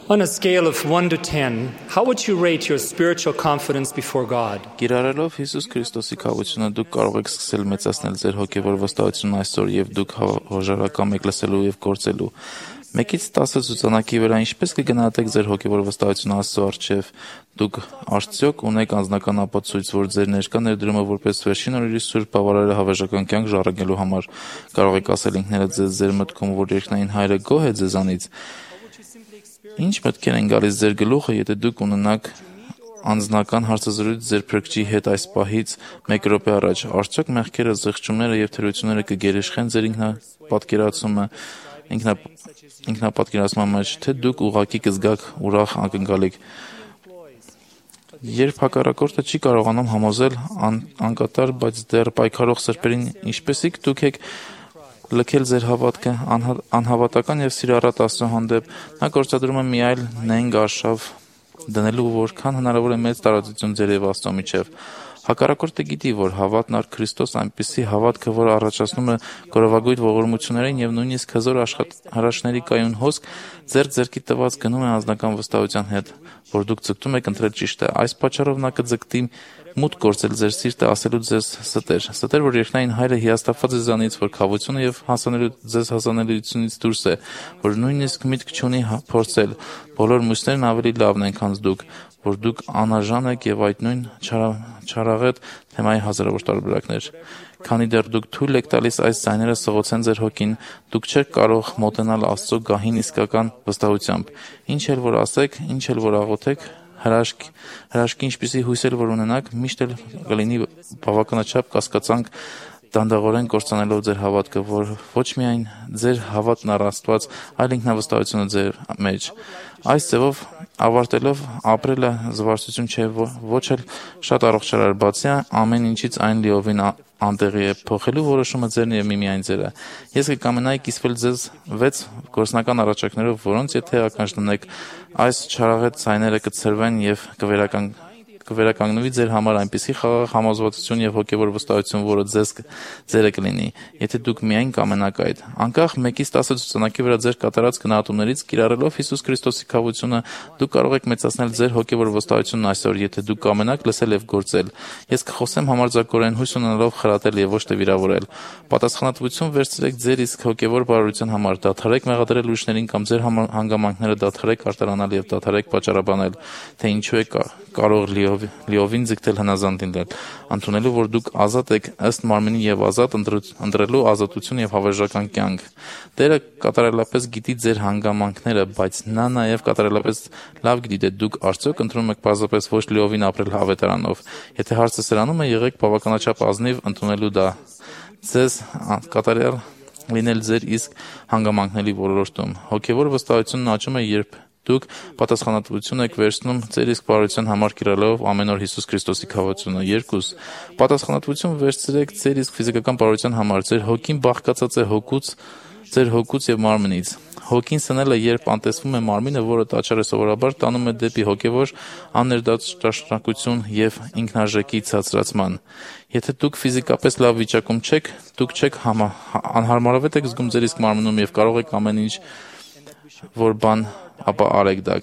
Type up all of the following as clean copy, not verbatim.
On a scale of 1 to 10, how would you rate your spiritual confidence before God? Կիրառելով Հիսուս Քրիստոսի քավությունը դուք կարող եք սկսել մեծացնել ձեր հոգևոր վստահությունն այսօր եւ դուք հոժարակամ եք լսելու եւ գործելու։ 1-ից 10 ցուցանակի վրա ինչպես կգնահատեք ձեր հոգևոր վստահությունը Աստծո առջև։ Դուք արդյոք ունեք անձնական ապացույց, որ ձեր ներկա ներդրումը որպես վերջին օրերի սուրբ բավարարը հավերժական կյանք ժառանգելու համար կարող եք ասել ինքներդ ձեզ ձեր մտքում, որ երկնային Հայրը գոհ է ձեզանից։ Ինչ մտքեր են գալիս ձեր գլուխը, եթե դուք ունենաք անձնական հարցազրույց ձեր Փրկչի հետ այս պահից 1 րոպե առաջ, արդյոք մեղքերը, զղջումները եւ թերությունները կգերեշխեն ձեր ինքնապատկերացման մեջ, թե դուք ուղղակի կզգաք ուրախ ակնկալիք։ Երբ հակառակորդը չի կարողանում համոզել անկատար, բայց դեռ պայքարող սրբերին, ինչպեսիք դուք եք լքել ձեր հավատքը, անհավատական եւ սիրառատ Աստծո հանդեպ, նա գործադրում է մի այլ նենգ արշավ դնելու, որքան հնարավոր է մեծ տարածություն ձեր եւ Աստծո միջև։ Հակառակորդը գիտի, որ հավատն առ Քրիստոս այնպիսի հավատքը, որը առաջացնում է գորովագույն ողորմություններին եւ նույնիսկ հզոր հրաշքների կայուն հոսք, ձեռքի տված գնում է անձնական վստահության հետ, որ դուք ձգտում եք ընտրել ճիշտը։ Այս պատճառով նա կձգտի մուտք գործել ձեր սիրտը, ասելու ձեզ ստեր, որ երկնային Հայրը հիասթափված է ձեզանից, որ քավությունը եւ ձեզ հասանելիությունից դուրս է, որ նույնիսկ միտք չունի փորձել։ Բոլոր մյուսներն ավելի լավն են, քան դուք, որ դուք անարժան եք եւ այդ նույն չարաղետ թեմայի հազարավոր տարբերակներ։ Քանի դեռ դուք թույլ եք տալիս այս ձայները սղոցեն ձեր հոգին, դուք չեք կարող մոտենալ Աստծո գահին իսկական վստահությամբ։ Ինչ էլ որ ասեք, ինչ էլ որ աղոթեք, հրաշքի ինչպիսի հույսեր որ ունենաք, միշտ էլ կլինի բավականաչափ կասկածանք դանդաղորեն կործանելով ձեր հավատքը, որ ոչ միայն ձեր հավատն առ Աստված, այլ ինքնավստահությունը ձեր մեջ։ Այս ձևով ավարտելով ապրելը զվարճություն չէ, ոչ էլ շատ առողջարար, բացի ամեն ինչից այն լիովին անտեղի է, փոխելու որոշումը ձերն եւ միմիայն ձերը։ Ես կկամենայի կիսվել ձեզ 6 գործնական առաջարկներով, որոնց եթե ականջնեք, այս չարաղետ ցայները կցրվեն եւ կվերականգնվի ձեր համար այնպիսի խաղաղ համոզվածություն եւ հոգեվոր վստահություն, որը ձերը կլինի, եթե դուք միայն կամենաք այդ։ Անկախ 1-ից 10 ցուցանակի վրա ձեր կատարած գնահատումներից, կիրառելով Հիսուս Քրիստոսի քավությունը, դուք կարող եք մեծացնել ձեր հոգեվոր վստահությունն այսօր, եթե դուք կամենաք լսել եւ գործել։ Ես կխոսեմ համարձակորեն հույս ունենալով խրատել եւ ոչ թե վիրավորել։ Պատասխանատվություն վերցրեք ձեր իսկ հոգեվոր բարօրության համար, դադարեք մեղադրել ուրիշներին կամ ձեր հանգամանքները դադարեք արտարանալ եւ դադարեք պատճառաբանել, թե ինչու է կարող լիովին ձգտել հնազանդ լինել, ընդունելու, որ դուք ազատ եք ըստ մարմինի եւ ազատ ընտրելու ազատություն եւ հավերժական կյանք։ Տերը կատարելապես գիտի ձեր հանգամանքները, բայց նա նաեւ կատարելապես լավ գիտի, թե դուք արդյոք ընտրում եք պարզապես ոչ լիովին ապրել հավետարանով։ Եթե հարցը սրանում է, եղեք բավականաչափ ազնիվ ընդունելու դա։ Ձեզ կատարյալ լինել ձեր իսկ հանգամանքների ոլորտում։ Հոգեվոր վստահությունն աճում է, երբ դուք պատասխանատվություն եք վերցնում ձեր իսկ բարության համար կիրառելով ամեն օր Հիսուս Քրիստոսի քավությունը։ 2. Պատասխանատվություն վերցրեք ձեր իսկ ֆիզիկական բարության համար։ Ձեր հոգին բաղկացած է ձեր հոգուց եւ մարմնից։ Հոգին սնելը, երբ անտեսվում է մարմինը, որը տաճարը սովորաբար տանում է դեպի հոգեվոր աներդաշնակություն եւ ինքնարժեքի ցածրացման։ Եթե դուք ֆիզիկապես լավ վիճակում չեք, դուք չեք անհարմարավետ եք զգում ձեր իսկ մարմնում եւ կարող եք ամեն ինչ որ բան ապա արեք դա։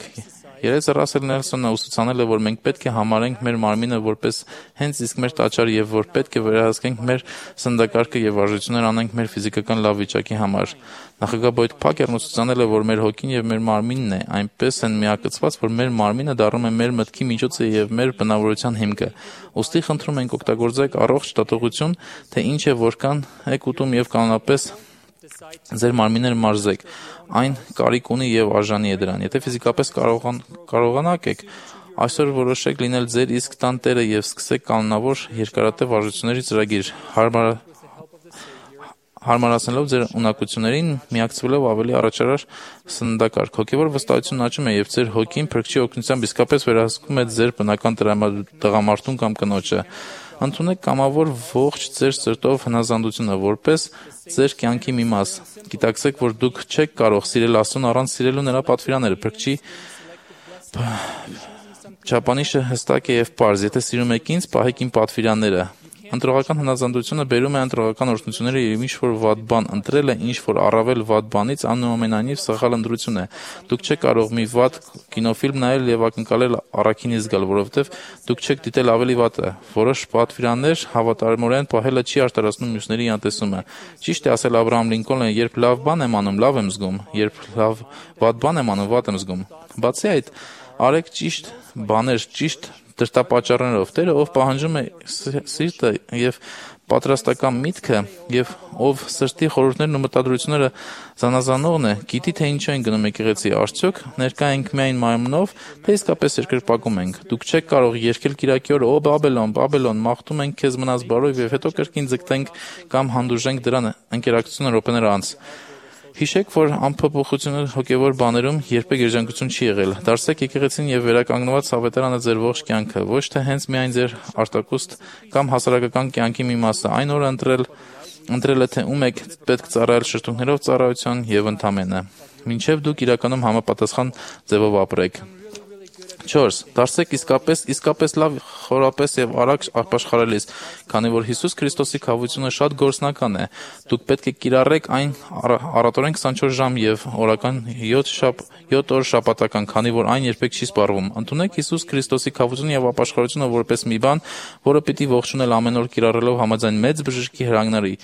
Երես Ռասել Նելսոնը ուսուցանել է, որ մենք պետք է համարենք մեր մարմինը որպես հենց իսկ մեր տաճար եւ որ պետք է վերահսկենք մեր սննդակարգը եւ արժություններ անենք մեր ֆիզիկական լավ վիճակի համար։ Նախագահ Բոյդ Փակերն ուսուցանել է, որ մեր հոգին եւ մեր մարմինն է այնպես են միակցված, որ մեր մարմինը դառնում է մեր մտքի միջոցը եւ մեր բնավորության հիմքը։ Ոստի խնդրում ենք օգտագործեք առողջ տատողություն, թե ինչ է որքան եք ուտում եւ կանոնապես ձեր մարմինները մարզեք, այն կարիք ունի եւ արժանի է դրան։ Եթե ֆիզիկապես կարողանաք եք, այսօր որոշեք լինել ձեր իսկ տան տերը եւ սկսեք կանոնավոր երկարատև արժությունների ծրագիր, հարմարացնելով ձեր ունակություններին, միակցվելով ավելի առաջարար սննդակարգ։ Հոգեվոր վստահությունն աճում է եւ ձեր հոգին Փրկչի օգնությամբ իսկապես վերահսկում է ձեր բնական տղամարդուն կամ կնոջը։ Ընդունեք կամավոր ողջ ձեր սրտով հնազանդությունը որպես ձեր կյանքի մի մաս։ Գիտակցեք, որ դուք չեք կարող սիրել Աստծուն առանց սիրելու նրա պատվիրանները։ Փրկչի չափանիշը հստակ է եւ պարզ։ Եթե սիրում եք ինձ, պահեք իմ պատվիրանները։ Ընտրողական հնազանդությունը բերում է ընտրողական օրհնությունները եւ ինչ-որ վատ բան ընտրելը ինչ-որ առավել վատ բանից այնուամենայնիվ սխալ ընտրություն է։ Դուք չեք կարող մի վատ կինոֆիլմ նայել եւ ակնկալել առաքինի զգալ, որովհետեւ դուք չեք դիտել ավելի վատը։ Որոշ պատվիրաններ հավատարմորեն պահելը չի արտարացնում մյուսների անտեսումը։ Ճիշտ է ասել Աբրահամ Լինկոլնը, երբ լավ բան եմ անում, լավ եմ զգում, երբ վատ բան եմ անում, վատ եմ զգում։ Բացի այդ, արեք ճիշտ բաներ, ճիշտ դրդապատճառներով։ Տերը, ով պահանջում է սիրտը եւ պատրաստական միտքը եւ ով սրտի խորհուրդներն ու մտադրությունները զանազանողն է, գիտի թե ինչու են գնում եկեղեցի, արդյոք ներկա ենք միայն մարմնով, թե իսկապես երկրպագում ենք։ Դուք չեք կարող երգել կիրակի օրը «Ո Բաբելոն, Բաբելոն, մաղթում ենք քեզ մնաս բարով» եւ հետո կրկին ձգտենք կամ հանդուրժենք դրան ընկերակցությունը րոպեներ անց։ Հիշեք, որ անփոփոխությունը հոգևոր բաներում երբեք երջանկություն չի եղել։ Դարձեք եկեղեցին եւ վերականգնված ավետարանը ձեր ողջ կյանքը, ոչ թե հենց միայն ձեր արտակուստ կամ հասարակական կյանքի մի մասը։ Այն օրը ընտրել է, թե ում եք պետք ծառայել շրթունքներով ծառայության եւ ընդամենը, մինչեւ դուք իրականում համապատասխան ձևով ապրեք։ 4. Դարձեք իսկապես լավ, խորապես եւ արագ ապաշխարելիս, քանի որ Հիսուս Քրիստոսի քավությունը շատ գործնական է։ Դուք պետք է կիրառեք այն առատորեն 24 ժամ եւ օրական 7 օր շաբաթական, քանի որ այն երբեք չի սպառվում։ Ընդունեք Հիսուս Քրիստոսի քավությունը եւ ապաշխարությունը որպես մի բան, որը պիտի ողջունել ամեն օր կիրառելով համաձայն մեծ բժշկի հրանգների։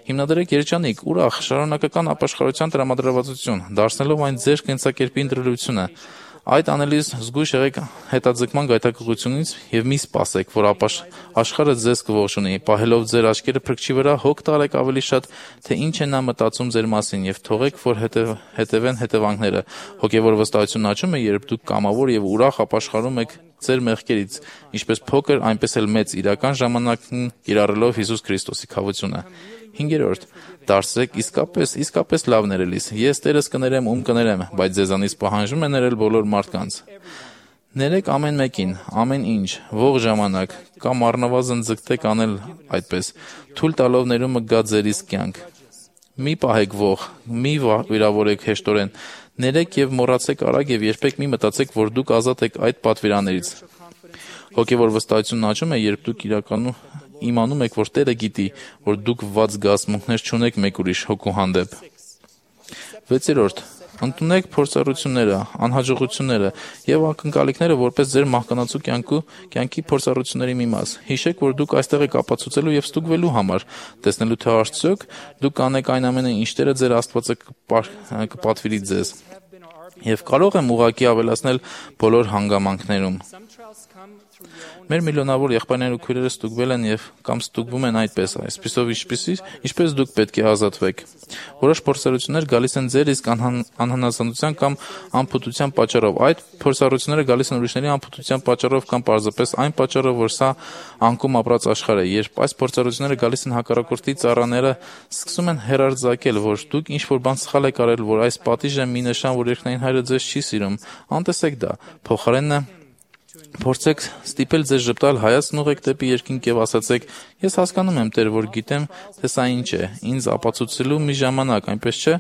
Հիմնադրեք երջանիկ, ուրախ, շարունակական ապաշխարության տրամադրվածություն, դարձնելով այն ձեր կենսակերպի ընտրելիությունը։ Այդ անելիս զգույշ եղեք հետաձգման գայթակղությունից եւ մի սպասեք, որ աշխարհը ձեզ կողջունի, պահելով ձեր աչքերը փրկչի վրա, հոգ տալեք ավելի շատ, թե ինչ է նա մտածում ձեր մասին եւ թողեք, որ հետևեն հետևանքները։ Հոգեվոր վստահությունն աճում է, երբ դուք կամավոր եւ ուրախ ապաշխարում եք ձեր մեղքերից, ինչպես փոքր, այնպես էլ մեծ իրական ժամանակն կիրառելով Հիսուս Քրիստոսի քավությունը։ 5. Դարձեք իսկապես լավ ներելիս։ Ես Տերս կներեմ, ում կներեմ, բայց ձեզանից պահանջում է ներել բոլոր մարդկանց։ Ներեք ամեն մեկին, ամեն ինչ, ողջ ժամանակ, կամ առնվազն ձգտեք անել այդպես, թույլ տալով ներումը գա ձեր իսկ կյանք։ Մի պահեք ող, մի վիրավորեք հեշտորեն, ներեք եւ մոռացեք արագ եւ երբեք մի մտածեք, որ դուք ազատ եք այդ պատվիրաններից։ Հոգեվոր վստահությունն աճում է, երբ դուք իրականում իմանում եք, որ Տերը գիտի, որ դուք վատ զգացմունքներ չունեք մեկ ուրիշ հոգու հանդեպ։ 6. Ընդունեք փորձառությունները, անհաջողությունները եւ ակնկալիքները որպես ձեր մահկանացու կյանքի փորձառությունների մի մաս։ Հիշեք, որ դուք այստեղ եք ապացուցելու եւ ստուգվելու համար, տեսնելու թե արդյոք դուք կանեք այն ամենը, ինչ Տերը ձեր Աստվածը կպատվիրի ձեզ։ Եվ կարող եմ ուղղակի ավելացնել բոլոր հանգամանքներում։ Մեր միլիոնավոր եղբայրներն ու քույրերը ստուգվել են եւ կամ ստուգվում են այսպիսով ինչպես դուք պետք է ազատվեք։ Որոշ փորձառություններ գալիս են ձեր իսկ անհնազանդության կամ անփութության պատճառով։ Այդ փորձառությունները գալիս են ուրիշների անփութության պատճառով կամ պարզապես այն պատճառով, որ սա անկում ապրած աշխարհ է։ Երբ այս փորձառությունները գալիս են հակառակորդի ծառաները սկսում են հերարձակել, որ դուք ինչ-որ բան սխալ եք արել, որ այս պատիժը մի նշան, որ երկնային Հայրը ձեզ չի սիրում, անտեսեք դա։ Փոխարենը փորձեք ստիպել ձեզ ժպտալ, հայացքն ուղղեք դեպի երկինք եւ ասացեք. Ես հասկանում եմ, Տեր, որ գիտեմ, թե սա ինչ է, ինձ ապացուցելու մի ժամանակ, այնպես չէ։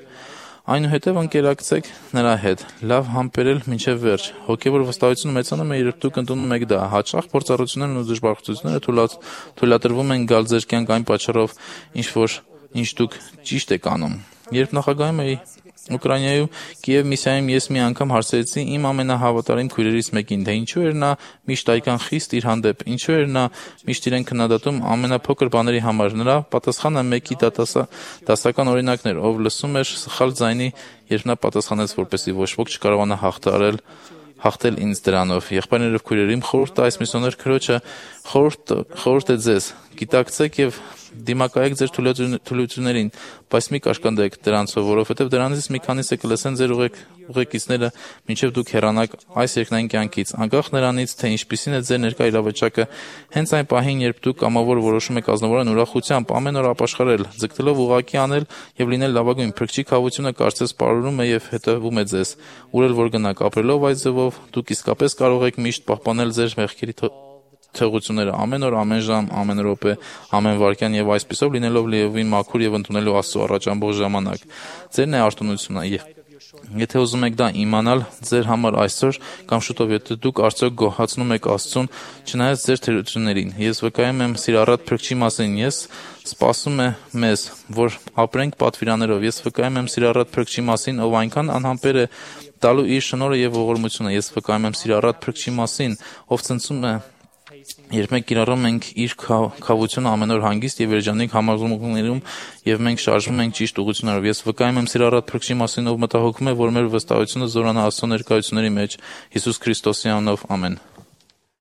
Այնուհետև ընկերակցեք նրա հետ, լավ համբերել մինչև վերջ։ Հոգևոր վստահությունը մեծանում է, երբ դուք ընդունում եք դա։ Հաճախ փորձառություններն ու դժբախտությունները թույլատրվում են գալ ձեր կյանք այն պատճառով, ինչ դուք ճիշտ եք անում։ Երբ նախագահում էի Ուկրաինայում Կիև միսիայում ես մի անգամ հարցրեցի իմ ամենահավատարիմ քույրերից մեկին, թե ինչու էր նա միշտ այդքան խիստ իր հանդեպ, ինչու էր նա միշտ իրեն քննադատում ամենափոքր բաների համար։ Նրա պատասխանը մեկի դասական օրինակն էր, ով լսում էր սխալ ձայնի, երբ նա պատասխանեց, որպեսզի ոչ ոք չկարողանա հաղթել ինձ դրանով։ Եղբայրներով քույրերիմ խորհուրդը այս միսիոներ քրոջը խորհուրդ է ձեզ։ Գիտակցեք եւ դիմակայեք ձեր թուլություններին, բայց մի կաշկանդեք դրանցով, որովհետև դրանից մի քանիսը կլսեն ձեր ուղեկիցները, մինչև դուք հեռանաք այս երկնային կյանքից, անկախ նրանից, թե ինչպիսին է ձեր ներկա իրավիճակը, հենց այն պահին, երբ դուք կամավոր որոշում եք ազնվորեն ուրախությամբ ամեն օր ապաշխարել, ձգտելով ուղղակի անել եւ լինել լավագույն, Փրկչի քավությունը կարծես պարուրում է եւ հետևում է ձեզ, ուր որ գնաք, ապրելով այդ ձևով, դուք իսկապես կարող եք միշտ պահպանել ձեր մեղքերի թողությունները ամեն օր, ամեն ժամ, ամեն րոպե, ամեն վայրկյան եւ այսպիսով լինելով լիովին մաքուր եւ ընդունելու Աստծո առաջ ամբողջ ժամանակ։ Ձերն է արտոնությունը Եթե ուզում եք դա իմանալ ձեր համար այսօր կամ շուտով, եթե դուք արդյոք գոհացնում եք Աստծուն, չնայած ձեր թերություններին, ես վկայում եմ սիրառատ Փրկչի մասին, ես սպասում է մեզ, որ ապրենք պատվիրաններով, ես վկայում եմ սիրառատ Փրկչի մասին, ով այնքան անհամբեր է տալու իր շնորհը եւ ողորմությունը, ես վկայում եմ սիրառատ Փրկչի մասին, ով ցնցում է երբ մենք կիրառում ենք իր քավությունը ամեն օր հանգիստ եւ երջանիկ համազգումներում եւ մենք շարժվում ենք ճիշտ ուղղություններով, ես վկայում եմ սիրառատ Փրկչի մասին, ով մտահոգում է, որ մեր վստահությունը զորանա Աստծո ներկայությունների մեջ, Հիսուս Քրիստոսի անունով, ամեն։